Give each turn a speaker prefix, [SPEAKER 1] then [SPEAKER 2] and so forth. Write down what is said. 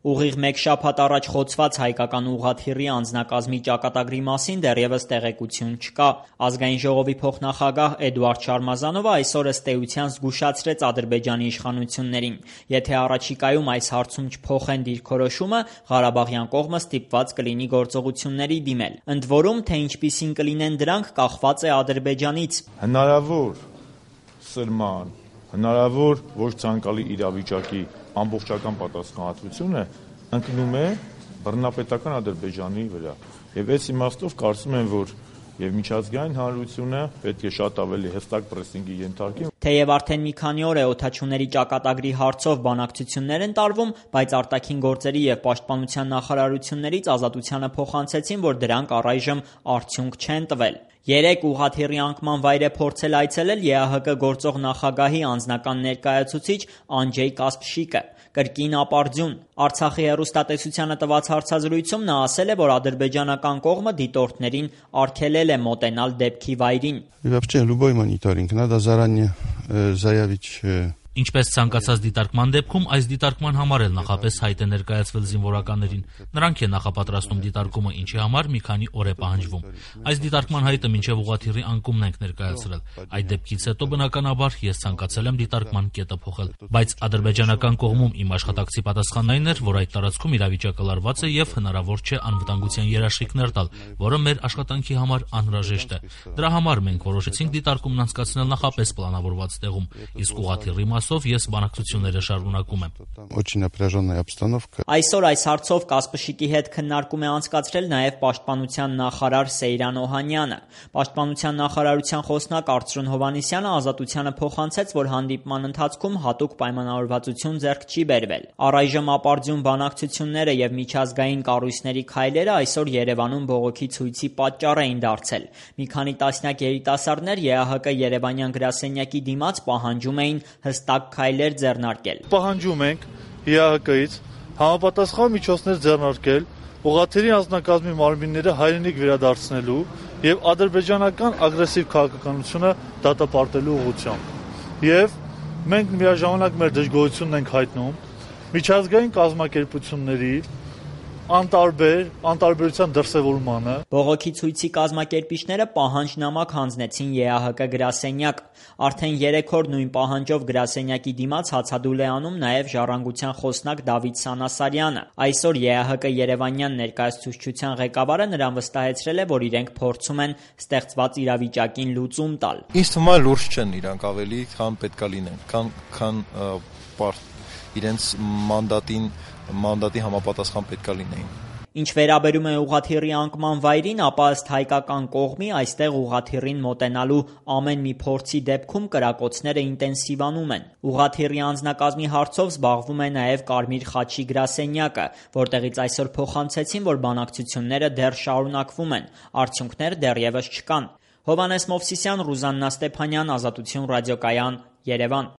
[SPEAKER 1] Ուղիղ մեկ շաբաթ առաջ խոցված հայկական ուղղաթիռի անձնակազմի ճակատագրի մասին դեռևս տեղեկություն չկա։ Ազգային ժողովի փոխնախագահ Էդուարդ Շարմազանովը այսօր ըստ էության զգուշացրեց Ադրբեջանի իշխանություններին. եթե առաջիկայում այս հարցում չփոխեն դիրքորոշումը, Ղարաբաղյան կողմը ստիպված կլինի գործողությունների դիմել։ Ընդ որում, թե ինչպիսին կլինեն դրանք, կախված է Ադրբեջանից։
[SPEAKER 2] Հնարավոր սրման, հնարավոր ոչ ցանկալի իրավիճակի ամբողջական պատասխանատվությունը ընկնում է բռնապետական Ադրբեջանի վրա։ Եվ այս իմաստով կարծում եմ, որ եւ միջազգային հանրությունը պետք է շատ ավելի հստակ պրեսինգի ենթարկի։
[SPEAKER 1] Թեև արդեն մի քանի օր է օդաչուների ճակատագրի հարցով բանակցություններ են տարվում, բայց արտաքին գործերի եւ պաշտպանության նախարարություններից ազատությանը փոխանցեցին, որ դրանք առայժմ արդյունք չեն տվել։ Երեկ ուղղաթիռի անկման վայր է փորձել այցելել ԵԱՀԿ գործող նախագահի անձնական ներկայացուցիչ Անջեյ Կասպշիկը։ Կրկին ապարդյուն։ Արցախի հեռուստատեսությանը տված հարցազրույցում նա ասել է, որ ադրբեջանական կողմը դիտորդներին արգելել է մոտենալ դեպքի վայրին։
[SPEAKER 3] Ինչպես ցանկացած դիտարկման դեպքում, այս դիտարկման համար էլ նախապես հայտ է ներկայացվել զինվորականներին։ Նրանք են նախապատրաստում դիտարկումը, ինչի համար մի քանի օր է պահանջվում։ Այս դիտարկման հայտը մինչև ուղղաթիռի անկումն ենք ներկայացրել։ Այդ դեպքից հետո բնականաբար ես ցանկացել եմ դիտարկման կետը փոխել։ Բայց ադրբեջանական կողմում իմ աշխատակցի պատասխանն այն էր, որ այդ տարածքում իրավիճակը լարված է եւ հնարավոր չէ անվտանգության երաշխիքներ տալ, որը մեր աշխատանքի համար անհրաժեշտ է։ Դրա համար մենք որոշեցինք դիտարկումն անցկացնել նախապես պլանավորված տեղում, իսկ ուղղաթիռի ես բանակցությունները շարունակում եմ։
[SPEAKER 1] Այսօր այս հարցով Կասպշիկի հետ քննարկում է անցկացրել նաև պաշտպանության նախարար Սեյրան Օհանյանը։ Պաշտպանության նախարարության խոսնակ Արծրուն Հովհաննիսյանը ազատությանը փոխանցեց, որ հանդիպման ընթացքում հատուկ պայմանավորվածություն ձեռք չի բերվել։ Առայժմ ապարդյուն բանակցությունները եւ միջազգային կառույցների քայլերը այսօր Երևանում բողոքի ցույցի պատճառ էին դարձել։ Մի քանի տասնյակ երիտասարդներ ԵԱՀԿ Երևանյան գրասենյակի դիմաց պահանջում էին հստակ քայլեր ձեռնարկել։
[SPEAKER 4] Պահանջում ենք ԵԱՀԿ-ից համապատասխան միջոցներ ձեռնարկել ուղղաթիռի անձնակազմի մարմինները հայրենիք վերադարձնելու եւ ադրբեջանական ագրեսիվ քաղաքականությունը դատապարտելու ուղղությամբ։ Եվ մենք միաժամանակ մեր դժգոհությունն ենք հայտնում միջազգային կազմակերպությունների անտարբերության դրսևորմանը։
[SPEAKER 1] Բողոքի ցույցի կազմակերպիչները պահանջնամակ հանձնեցին ԵԱՀԿ գրասենյակ։ Արդեն 3 օր նույն պահանջով գրասենյակի դիմաց հացադուլ է անում նաև Ժառանգության խոսնակ Դավիթ Սանասարյանը։ Այսօր ԵԱՀԿ Երևանյան ներկայացուցչության ղեկավարը նրան վստահեցրել է, որ իրենք փորձում են ստեղծված իրավիճակին լուծում տալ։
[SPEAKER 5] Ինձ թվում է լուրջ չեն իրանք ավելի, քան պետքա լինեն, քան իրենց մանդատի համապատասխան պետքա լինեին։
[SPEAKER 1] Ինչ վերաբերում է ուղղաթիռի անկման վայրին, ապա ըստ հայկական կողմի այստեղ ուղղաթիռին մոտենալու ամեն մի փորձի դեպքում կրակոցները ինտենսիվանում են։ Ուղղաթիռի անձնակազմի հարցով զբաղվում է նաև Կարմիր խաչի գրասենյակը, որտեղից այսօր փոխանցեցին, որ բանակցությունները դեռ շարունակվում են, արդյունքներ դեռևս չկան։ Հովհաննես Մովսիսյան, Ռուզաննա Ստեփանյան, Ազատություն ռադիոկայան, Երևան։